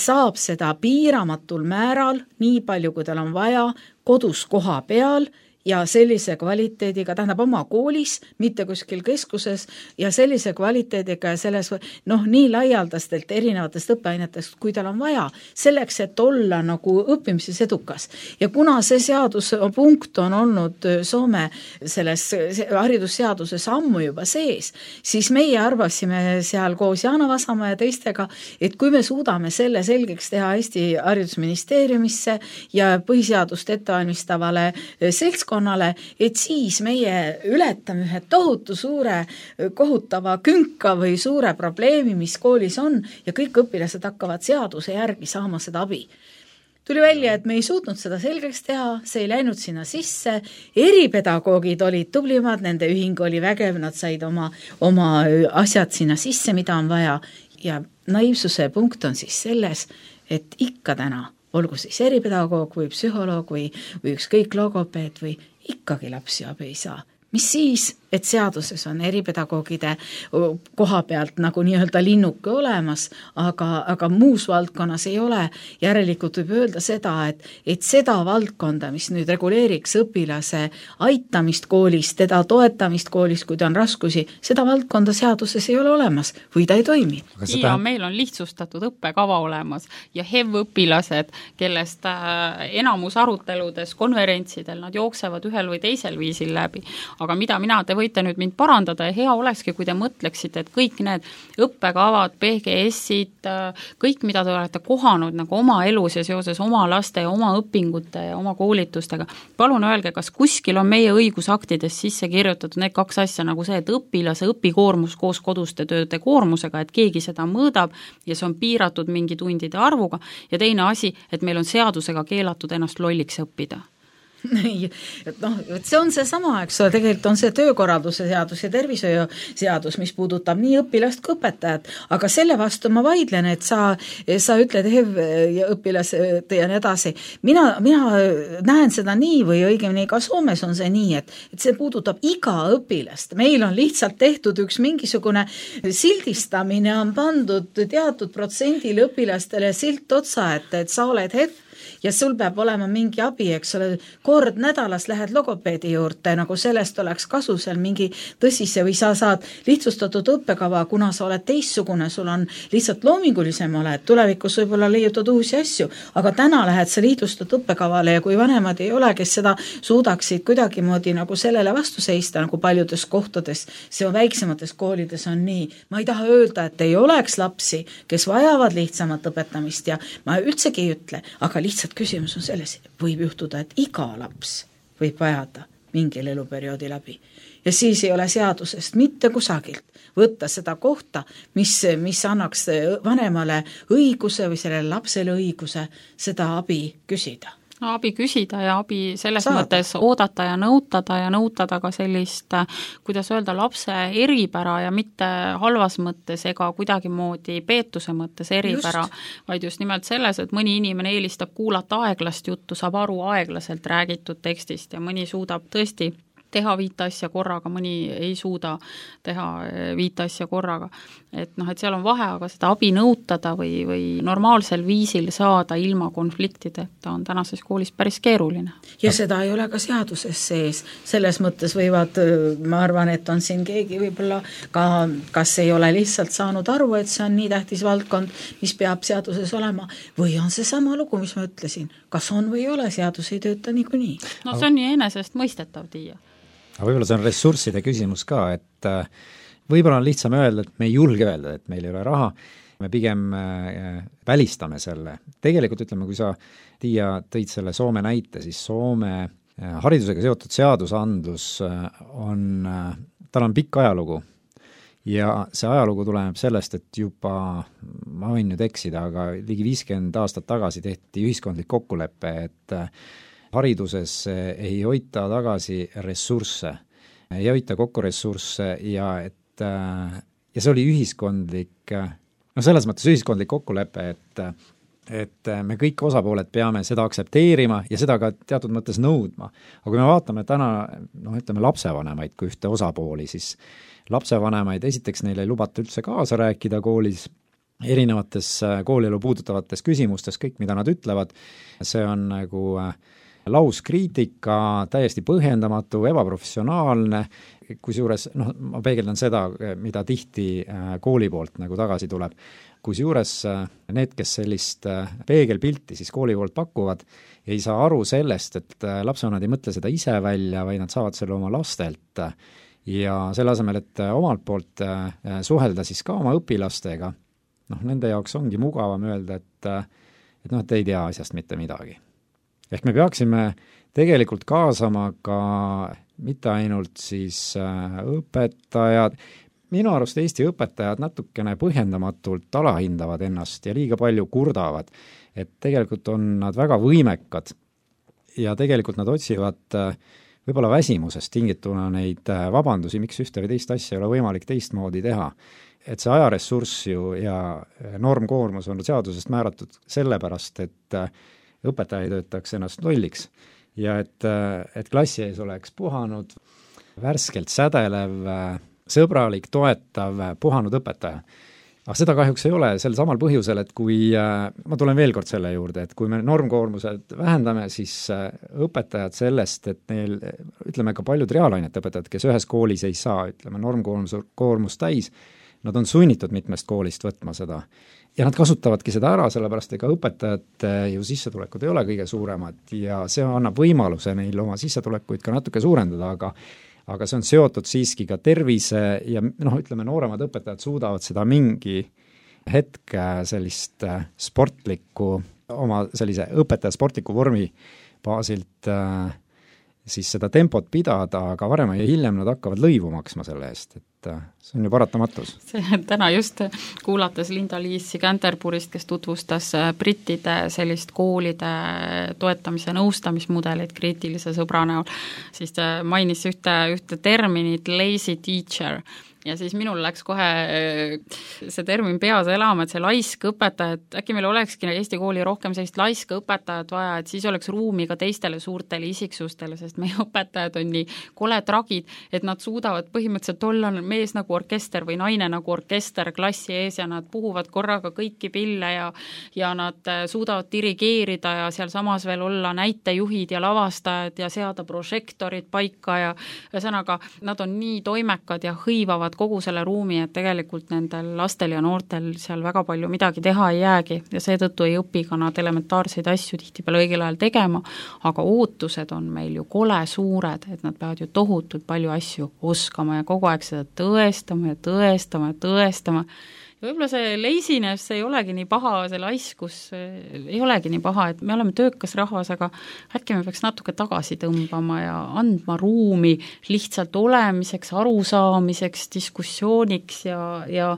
saab seda piiramatul määral, nii palju, kui tal on vaja, kodus koha peal ja sellise kvaliteediga, tähendab oma koolis, mitte kuskil keskuses ja sellise kvaliteediga ja selles, noh, nii laialdastelt erinevatest õppeainetest, kui tal on vaja, selleks, et olla nagu õppimises edukas. Ja kuna see seadus punkt on olnud Soome selles haridusseaduses ammu juba sees, siis meie arvasime seal koos Jaana Vasamaa ja teistega, et kui me suudame selle selgeks teha Eesti haridusministeeriumisse ja põhiseadust ettevalmistavale seltskonnale, et siis meie ületame ühe tohutu suure kohutava künka või suure probleemi, mis koolis on ja kõik õpilased hakkavad seaduse järgi saama seda abi. Tuli välja, et me ei suutnud seda selgeks teha, see ei läinud sinna sisse, eripedagoogid olid tublimad, nende ühing oli vägev, nad said oma, oma asjad sinna sisse, mida on vaja ja naiivsuse punkt on siis selles, et ikka täna olgu siis eripedagoog või psühholoog või, või ükskõik logopeed või ikkagi lapsi abi ei saa. Mis siis, et seaduses on eripedagoogide koha pealt nagu nii-öelda linnuke olemas, aga, aga muus valdkonnas ei ole. Järelikult võib öelda seda, et, et seda valdkonda, mis nüüd reguleeriks õpilase aitamist koolis, teda toetamist koolis, kui ta on raskusi, seda valdkonda seaduses ei ole olemas või ta ei toimi. Seda... Ja meil on lihtsustatud õppekava olemas ja H E V-õpilased, kellest enamus aruteludes, konverentsidel, nad jooksevad ühel või teisel viisil läbi. Aga mida mina, te võite nüüd mind parandada ja hea olekski, kui te mõtleksite, et kõik need õppekavad, P G S-id, kõik, mida te olete kohanud nagu oma elus ja seoses oma laste ja oma õpingute ja oma koolitustega, palun öelge, kas kuskil on meie õigusaktides sisse kirjutatud need kaks asja nagu see, et õpilase õpikoormus koos koduste tööde koormusega, et keegi seda mõõdab ja see on piiratud mingi tundide arvuga ja teine asi, et meil on seadusega keelatud ennast lolliks õppida. noh, see on see sama, eks ole, tegelikult on see töökorralduse seadus ja tervishoiu seadus, mis puudutab nii õpilast kui õpetajat, aga selle vastu ma vaidlen, et sa, sa ütled H E V ja õpilased ja nii edasi. Mina, mina näen seda nii või õigemini ka Soomes on see nii, et, et see puudutab iga õpilast. Meil on lihtsalt tehtud üks mingisugune sildistamine, on pandud teatud protsendil õpilastele silt otsa, et, et sa oled H E V ja sul peab olema mingi abi, eks ole, kord nädalas lähed logopeedi juurde, nagu sellest oleks kasu seal mingi tõsise või sa saad lihtsustatud õppekava, kuna sa oled teistsugune, sul on lihtsalt loomingulisem oled, tulevikus võib-olla leiutad uusi asju, aga täna lähed sa lihtsustatud õppekavale ja kui vanemad ei ole, kes seda suudaksid kuidagimoodi nagu sellele vastu seista, nagu paljudes kohtades, see on väiksemates koolides on nii. Ma ei taha öelda, et ei oleks lapsi, kes vajavad lihtsamat õpetamist ja ma üldsegi ei ütle, aga lihtsalt küsimus on selles, võib juhtuda, et iga laps võib vajada mingil eluperioodi läbi. Ja siis ei ole seadusest mitte kusagilt võtta seda kohta, mis, mis annaks vanemale õiguse või sellele lapsele õiguse seda abi küsida. No, abi küsida ja abi selles Saada. mõttes oodata ja nõutada ja nõutada ka sellist, kuidas öelda, lapse eripära ja mitte halvas mõttes ega kuidagimoodi peetuse mõttes eripära, just. Vaid just nimelt selles, et mõni inimene eelistab kuulata aeglast juttu, saab aru aeglaselt räägitud tekstist ja mõni suudab tõesti teha viite asja korraga, mõni ei suuda teha viite asja korraga. Et noh, et seal on vahe, aga seda abi nõutada või, või normaalsel viisil saada ilma konfliktideta on tänases koolis päris keeruline. Ja seda ei ole ka seaduses sees. Selles mõttes võivad, ma arvan, et on siin keegi võib-olla ka, kas ei ole lihtsalt saanud aru, et see on nii tähtis valdkond, mis peab seaduses olema, või on see sama lugu, mis ma ütlesin. Kas on või ei ole, seadus ei tööta niikuinii. No see on nii enesest mõistetav, Tiia. Aga võib-olla see on ressursside küsimus ka, et võib-olla on lihtsam öelda, et me ei julge öelda, et meil ei ole raha, me pigem välistame selle. Tegelikult ütleme, kui sa, Tiia, tõid selle Soome näite, siis Soome haridusega seotud seadusandlus on, tal on pikk ajalugu ja see ajalugu tuleneb sellest, et juba, ma võin nüüd eksida, aga ligi viiskümmend aastat tagasi tehti ühiskondlik kokkulepe, et hariduses ei hoita tagasi ressursse, ei hoita kokku ressursse ja et ja see oli ühiskondlik, no selles mõttes ühiskondlik kokkulepe, et et me kõik osapooled peame seda aktsepteerima ja seda ka teatud mõttes nõudma. Aga kui me vaatame täna, noh ütleme lapsevanemaid kui ühte osapooli, siis lapsevanemaid esiteks neile ei lubata üldse kaasa rääkida koolis, erinevates koolielu puudutavates küsimustes, kõik mida nad ütlevad, see on nagu lauskriitika, täiesti põhjendamatu, ebaprofessionaalne, kusjuures, noh, ma peegeldan seda, mida tihti kooli poolt nagu tagasi tuleb. Kusjuures need, kes sellist peegelpilti siis kooli poolt pakuvad, ei saa aru sellest, et lapsevanemad ei mõtle seda ise välja, vaid nad saavad selle oma lastelt ja selle asemel, et omalt poolt suhelda siis ka oma õpilastega, noh, nende jaoks ongi mugavam öelda, et, et noh, et ei tea asjast mitte midagi. Ehk me peaksime tegelikult kaasama ka mitte ainult siis õpetajad, minu arust Eesti õpetajad natukene põhjendamatult alahindavad ennast ja liiga palju kurdavad, et tegelikult on nad väga võimekad ja tegelikult nad otsivad võib-olla väsimusest tingituna neid vabandusi, miks ühte või teist asja ei ole võimalik teistmoodi teha. Et see ajaressurss ju ja normkoormus on seadusest määratud sellepärast, et õpetaja ei töötaks ennast lolliks ja et, et klassi ees oleks puhanud, värskelt sädelev, sõbralik, toetav, puhanud õpetaja. Aga seda kahjuks ei ole sel samal põhjusel, et kui, ma tulen veel kord selle juurde, et kui me normkoormused vähendame, siis õpetajad sellest, et neil, ütleme ka paljud reaalainete õpetajad, kes ühes koolis ei saa, ütleme normkoormus koormus täis, nad on sunnitud mitmest koolist võtma seda. Ja nad kasutavadki seda ära, sellepärast ega õpetajate ju sissetulekud ei ole kõige suuremad ja see annab võimaluse neil oma sissetulekuid ka natuke suurendada, aga aga see on seotud siiski ka tervise ja noh, ütleme, nooremad õpetajad suudavad seda mingi hetk sellist sportlikku, oma sellise õpetaja sportliku vormi baasilt siis seda tempot pidada, aga varem ja hiljem nad hakkavad lõivu maksma selle eest, et see on ju paratamatus. See täna just kuulates Linda-Liis Canterburist, kes tutvustas brittide sellist koolide toetamise nõustamismudelit kriitilise sõbra näol, siis ta mainis ühte, ühte terminit lazy teacher ja siis minul läks kohe see termin peas elama, et see laisk õpetaja, et äkki meil olekski Eesti kooli rohkem sellist laiska õpetajat vaja, et siis oleks ruumi ka teistele suurtele isiksustele, sest meie õpetajad on nii kole tragid, et nad suudavad põhimõtteliselt olla mees nagu orkester või naine nagu orkester klassi ees ja nad puhuvad korraga kõiki pille ja ja nad suudavad dirigeerida ja seal samas veel olla näitejuhid ja lavastajad ja seada prožektorid paika ja ühesõnaga, nad on nii toimekad ja hõivavad kogu selle ruumi, et tegelikult nendel lastel ja noortel seal väga palju midagi teha ei jäägi ja seetõttu ei õpi ka nad elementaarseid asju tihtipeale õigel ajal tegema, aga ootused on meil ju kole suured, et nad peavad ju tohutult palju asju oskama ja kogu aeg seda tõestama ja tõestama ja tõestama. Ja võib-olla see laziness ei olegi nii paha, see laiskus ei olegi nii paha, et me oleme töökas rahvas, aga äkki me peaks natuke tagasi tõmbama ja andma ruumi lihtsalt olemiseks, arusaamiseks, diskussiooniks ja, ja,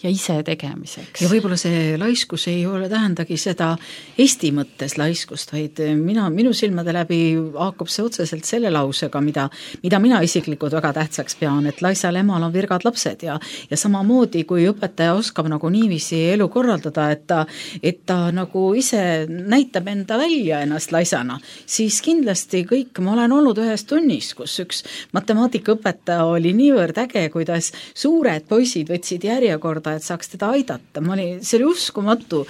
ja ise tegemiseks. Ja võib-olla see laiskus ei ole tähendagi seda Eesti mõttes laiskust, vaid mina, minu silmade läbi haakub see otseselt selle lausega, mida, mida mina isiklikult väga tähtsaks pean, et laisal emal on virgad lapsed ja, ja samamoodi kui õpetaja oskab nagu niiviisi elu korraldada, et ta, et ta nagu ise näitab enda välja ennast laisana, siis kindlasti kõik, ma olen olnud ühes tunnis, kus üks matemaatikaõpetaja oli niivõrd äge, kuidas suured poisid võtsid järjekorda, et saaks teda aidata. Ma oli, see oli uskumatu,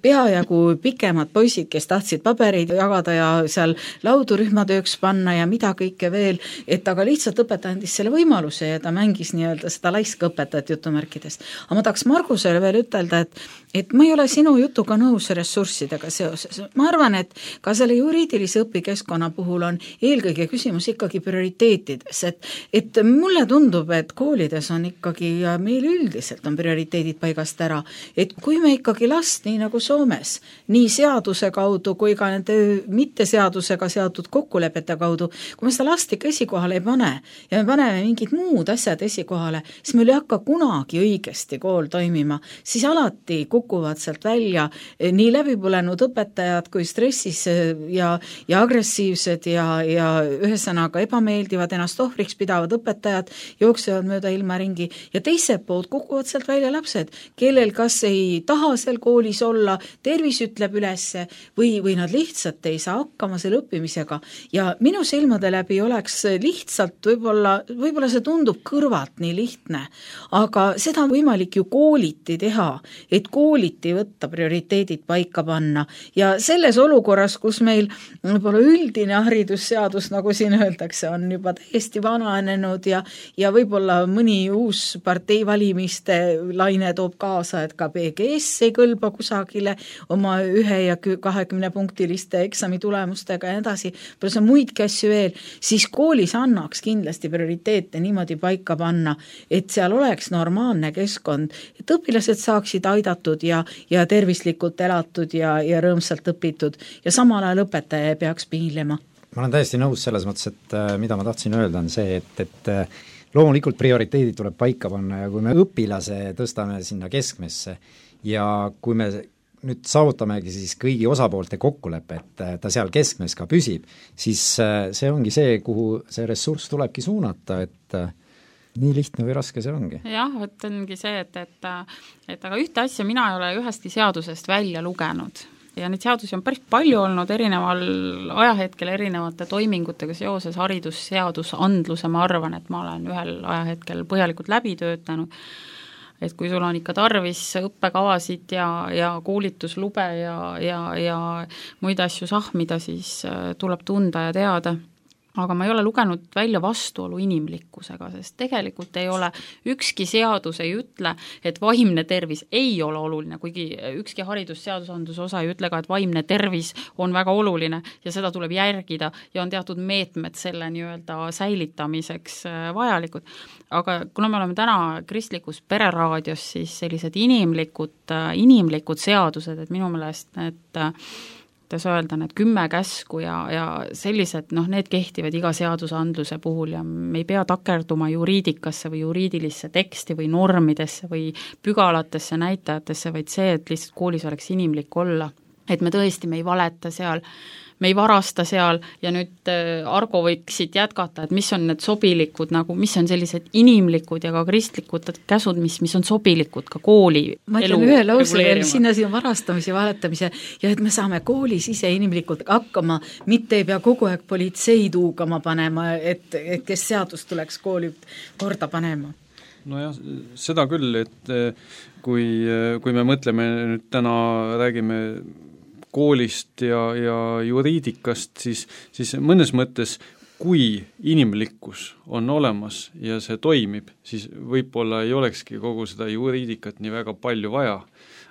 peajagu pikemad poisid, kes tahtsid pabereid jagada ja seal laudurühmatööks panna ja mida kõike veel, et aga lihtsalt õpetaja andis selle võimaluse ja ta mängis nii-öelda seda laiska õpetajat jutumärkides. Aga ma tahaks Margusele veel ütelda, et, et ma ei ole sinu jutuga nõus ressurssidega seoses. Ma arvan, et ka selle juriidilise õpikeskkonna puhul on eelkõige küsimus ikkagi prioriteetides, et, et mulle tundub, et koolides on ikkagi ja meil üldiselt on prioriteedid paigast ära, et kui me ikkagi last, nii nagu Soomes, nii seaduse kaudu kui ka nende mitteseadusega seatud kokkulepete kaudu, kui me seda last ikka esikohale ei pane ja me paneme mingid muud asjad esikohale, siis meil ei hakka kunagi õigesti kool toimima, siis alati kukuvad sealt välja nii läbipõlenud õpetajad kui stressis ja, ja agressiivsed ja, ja ühesõnaga ebameeldivad, ennast ohvriks pidavad õpetajad jooksevad mööda ilma ringi ja teiselt poolt kukuvad sealt välja lapsed, kellel kas ei taha seal koolis olla, tervis ütleb ülesse või, või nad lihtsalt ei saa hakkama selle õppimisega ja minu silmade läbi oleks lihtsalt võib-olla, võib-olla see tundub kõrvalt nii lihtne, aga seda on võimalik ju kooliti teha, et kooliti võtta prioriteedid paika panna ja selles olukorras, kus meil võib-olla üldine haridusseadus, nagu siin öeldakse, on juba täiesti vananenud ja, ja võib-olla mõni uus partei valimiste laine toob kaasa, et ka B G S ei kõlba kusagile oma ühe ja kahekümne punktiliste eksami tulemustega ja edasi, pluss on muidki asju veel, siis koolis annaks kindlasti prioriteete niimoodi paika panna, et seal oleks normaalne keskkond, et õpilased saaksid aidatud ja, ja tervislikult elatud ja, ja rõõmsalt õpitud ja samal ajal õpetaja ei peaks piinlema. Ma olen täiesti nõus selles mõttes, et mida ma tahtsin öelda on see, et, et loomulikult prioriteedid tuleb paika panna ja kui me õpilase tõstame sinna keskmesse ja kui me nüüd saavutamegi siis kõigi osapoolte kokkuleppe, et ta seal keskmes ka püsib, siis see ongi see, kuhu see ressurss tulebki suunata, et nii lihtne või raske see ongi. jah, et ongi see, et, et, et aga ühte asja mina ei ole ühestki seadusest välja lugenud ja neid seadusi on päris palju olnud erineval ajahetkel erinevate toimingutega seoses haridusseadusandluse, ma arvan, et ma olen ühel ajahetkel põhjalikult läbi töötanud, et kui sul on ikka tarvis õppekavasid ja, ja koolituslube ja, ja, ja muid asju sahmida, siis tuleb tunda ja teada. Aga ma ei ole lugenud välja vastuolu inimlikkusega, sest tegelikult ei ole, ükski seadus ei ütle, et vaimne tervis ei ole oluline, kuigi ükski haridusseadusandluse osa ei ütle ka, et vaimne tervis on väga oluline ja seda tuleb järgida ja on teatud meetmed selle nii-öelda säilitamiseks vajalikud. Aga kuna me oleme täna kristlikus pereraadios, siis sellised inimlikud, inimlikud seadused, et minu meelest need kuidas öelda, need kümme käsku ja, ja sellised, noh, need kehtivad iga seadusandluse puhul ja me ei pea takerduma juriidikasse või juriidilisse teksti või normidesse või pügalatesse näitajatesse, vaid see, et lihtsalt koolis oleks inimlik olla, et me tõesti, me ei valeta seal, me ei varasta seal ja nüüd Argo võiksid jätkata, et mis on need sobilikud, nagu mis on sellised inimlikud ja ka kristlikud käsud, mis, mis on sobilikud ka kooli ma elu ütlen ühe lause veel, sinna siin varastamise ja valetamise ja et me saame koolis ise inimlikult hakkama, mitte ei pea kogu aeg politseid huugama panema, et, et kes seadust tuleks kooli korda panema. Nojah, seda küll, et kui, kui me mõtleme nüüd täna, räägime koolist ja, ja juriidikast, siis, siis mõnes mõttes, kui inimlikkus on olemas ja see toimib, siis võib-olla ei olekski kogu seda juriidikat nii väga palju vaja.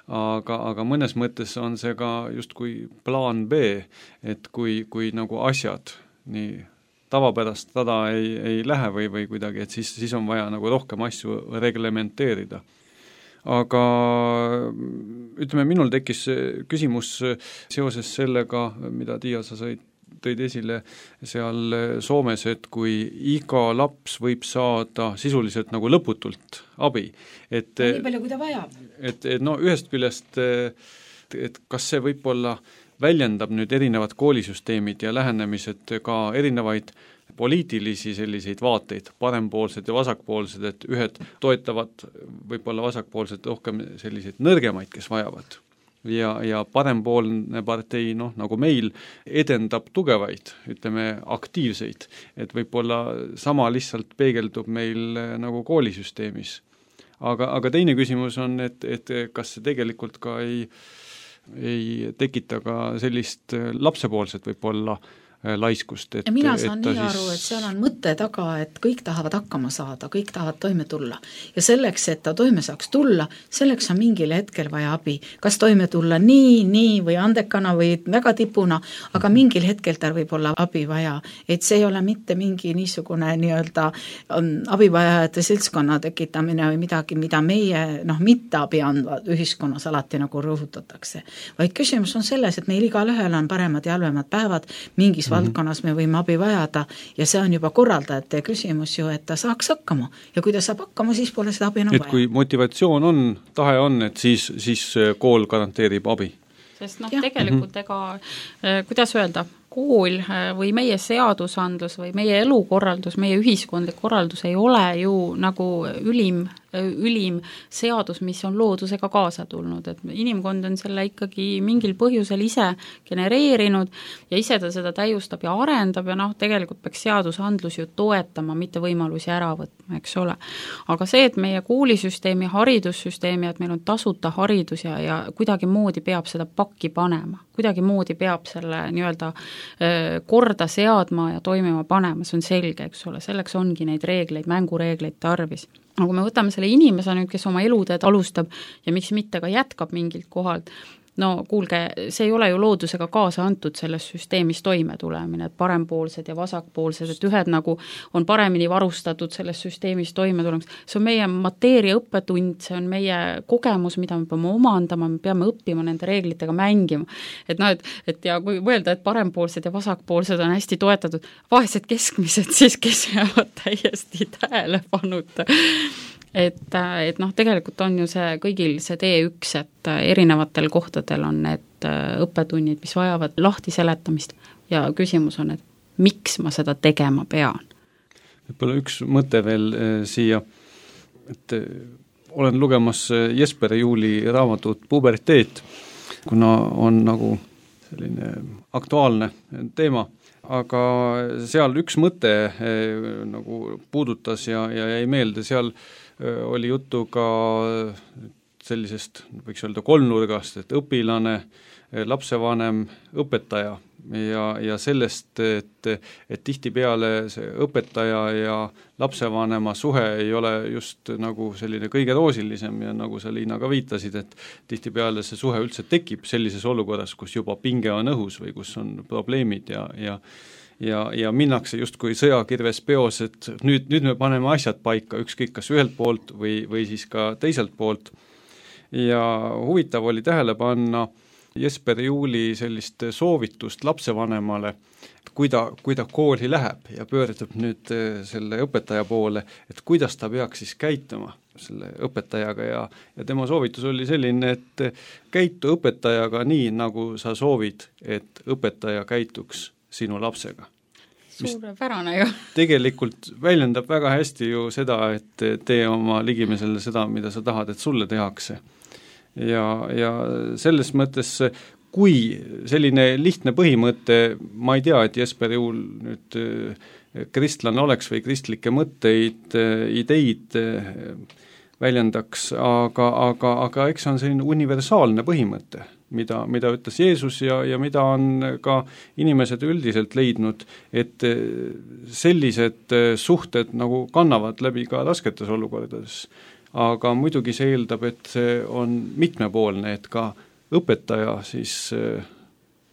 Aga, aga mõnes mõttes on see ka justkui plaan B, et kui, kui nagu asjad nii tavapärast tada ei, ei lähe või, või kuidagi, et siis, siis on vaja nagu rohkem asju reglementeerida. Aga ütleme, minul tekkis küsimus seoses sellega, mida Tiia, sa said, tõid esile seal Soomes, et kui iga laps võib saada sisuliselt nagu lõputult abi. Et, nii palju, kui ta vajab. Et, et no ühest küljest, et kas see võib olla väljendab nüüd erinevad koolisüsteemid ja lähenemised ka erinevaid poliitilisi selliseid vaateid, parempoolsed ja vasakpoolsed, et ühed toetavad võib-olla vasakpoolsed rohkem selliseid nõrgemaid, kes vajavad. Ja, ja parempoolne partei, noh, nagu meil, edendab tugevaid, ütleme, aktiivseid, et võib-olla sama lihtsalt peegeldub meil nagu koolisüsteemis. Aga, aga teine küsimus on, et, et kas see tegelikult ka ei ei tekita ka sellist lapsepoolset võib-olla laiskust. Et, ja mina saan et nii siis... aru, et seal on mõte taga, et kõik tahavad hakkama saada, kõik tahavad toime tulla. Ja selleks, et ta toime saaks tulla, selleks on mingil hetkel vaja abi. Kas toime tulla nii, nii või andekana või väga tipuna, aga mingil hetkel tal võib olla abi vaja. Et see ei ole mitte mingi niisugune nii-öelda abivajajate seltskonna tekitamine või midagi, mida meie noh, mitte abi andvad ühiskonnas alati nagu rõhutatakse. Vaid küsimus on selles, et meil igal ühel on paremad ja halvemad päevad, mingis valdkonnas me võime abi vajada ja see on juba korraldajate küsimus ju, et ta saaks hakkama ja kui ta saab hakkama, siis pole seda abi enam vaja. Et kui motivatsioon on, tahe on, et siis, siis kool garanteerib abi. Sest noh, tegelikult ega, kuidas öelda, kool või meie seadusandlus või meie elukorraldus, meie ühiskondlik korraldus ei ole ju nagu ülim ülim seadus, mis on loodusega kaasa tulnud, et inimkond on selle ikkagi mingil põhjusel ise genereerinud ja ise ta seda täiustab ja arendab ja noh, tegelikult peaks seadusandlus ju toetama, mitte võimalusi ära võtma, eks ole. Aga see, et meie koolisüsteemi, haridussüsteemi, et meil on tasuta haridus ja, ja kuidagi moodi peab seda pakki panema, kuidagi moodi peab selle nii-öelda korda seadma ja toimima panema, see on selge, eks ole, selleks ongi neid reegleid, mängureegleid tarvis. Aga kui me võtame selle inimese nüüd, kes oma eluteed alustab ja miks mitte ka jätkab mingilt kohalt, no kuulge, see ei ole ju loodusega kaasa antud selles süsteemis toime tulemine, et parempoolsed ja vasakpoolsed, et ühed nagu on paremini varustatud selles süsteemis toime tulemiseks. See on meie mateeria õppetund, see on meie kogemus, mida me peame omandama, me peame õppima nende reeglitega mängima. Et noh, et, et ja kui mõelda, et parempoolsed ja vasakpoolsed on hästi toetatud, vaesed keskmised siis, kes jäävad täiesti tähelepanuta. Et, et noh, tegelikult on ju see kõigil see tee üks, et erinevatel kohtadel on need õppetunnid, mis vajavad lahti seletamist ja küsimus on, et miks ma seda tegema pean? Võib-olla üks mõte veel eh, siia, et eh, olen lugemas Jesper Juuli raamatut Puberteet, kuna on nagu selline aktuaalne teema, aga seal üks mõte eh, nagu puudutas ja, ja jäi meelde, seal oli juttu ka sellisest, võiks öelda kolmnurgast, et õpilane, lapsevanem, õpetaja ja, ja sellest, et, et tihtipeale see õpetaja ja lapsevanema suhe ei ole just nagu selline kõige roosilisem ja nagu sa, Liina, ka viitasid, et tihtipeale see suhe üldse tekib sellises olukorras, kus juba pinge on õhus või kus on probleemid ja, ja ja, ja minnakse justkui sõjakirves peos, et nüüd, nüüd me paneme asjad paika, ükskõik kas ühelt poolt või, või siis ka teiselt poolt. Ja huvitav oli tähele panna Jesper Juuli sellist soovitust lapsevanemale, kui ta, kui ta kooli läheb ja pöördub nüüd selle õpetaja poole, et kuidas ta peaks siis käituma selle õpetajaga ja, ja tema soovitus oli selline, et käitu õpetajaga nii, nagu sa soovid, et õpetaja käituks sinu lapsega. Suurepärane ju. Tegelikult väljendab väga hästi ju seda, et tee oma ligimesele seda, mida sa tahad, et sulle tehakse. Ja, ja selles mõttes, kui selline lihtne põhimõte, ma ei tea, et Jesper Juul nüüd kristlane oleks või kristlikke mõtteid, ideid väljendaks, aga, aga, aga eks see on selline universaalne põhimõte, mida, mida ütles Jeesus ja, ja mida on ka inimesed üldiselt leidnud, et sellised suhted nagu kannavad läbi ka rasketes olukordades. Aga muidugi see eeldab, et see on mitmepoolne, et ka õpetaja siis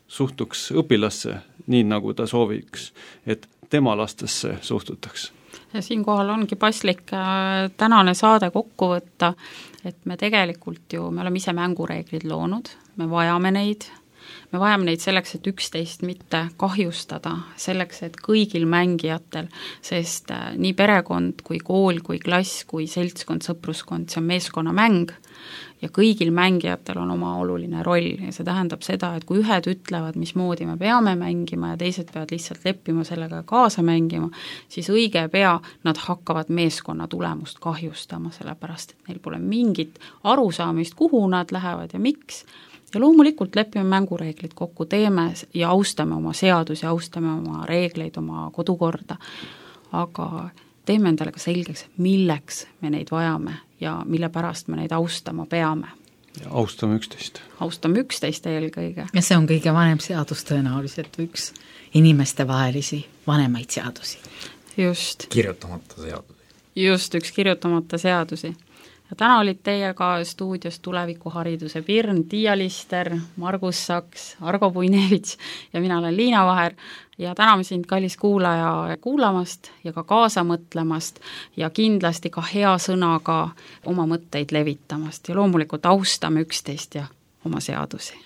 suhtuks õpilasse nii, nagu ta sooviks, et tema lastesse suhtutaks. Ja siinkohal ongi paslik tänane saade kokku võtta, et me tegelikult ju, me oleme ise mängureeglid loonud, me vajame neid, me vajame neid selleks, et üksteist mitte kahjustada, selleks, et kõigil mängijatel, sest nii perekond kui kool, kui klass, kui seltskond, sõpruskond, see on meeskonnamäng ja kõigil mängijatel on oma oluline roll ja see tähendab seda, et kui ühed ütlevad, mismoodi me peame mängima ja teised peavad lihtsalt leppima sellega kaasa mängima, siis õige pea nad hakkavad meeskonna tulemust kahjustama, sellepärast et neil pole mingit arusaamist, kuhu nad lähevad ja miks. Ja loomulikult lepime mängureeglid kokku, teeme ja austame oma seadusi, austame oma reegleid, oma kodukorda, aga teeme endale ka selgeks, milleks me neid vajame ja mille pärast me neid austama peame. Ja austame üksteist. Austame üksteist eelkõige. Ja see on kõige vanem seadus tõenäoliselt, üks inimeste vahelisi vanemaid seadusi. Just. Kirjutamata seadusi. Just, üks kirjutamata seadusi. Ja täna olid teiega stuudios tulevikuhariduse Pirn, Tiia Lister, Margus Saks, Argo Puinevits ja mina olen Liina Vaher ja täname sind, kallis kuulaja, kuulamast ja ka kaasa mõtlemast ja kindlasti ka hea sõnaga oma mõtteid levitamast ja loomulikult austame üksteist ja oma seadusi.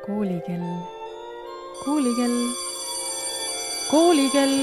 koolikell, koolikell, koolikell.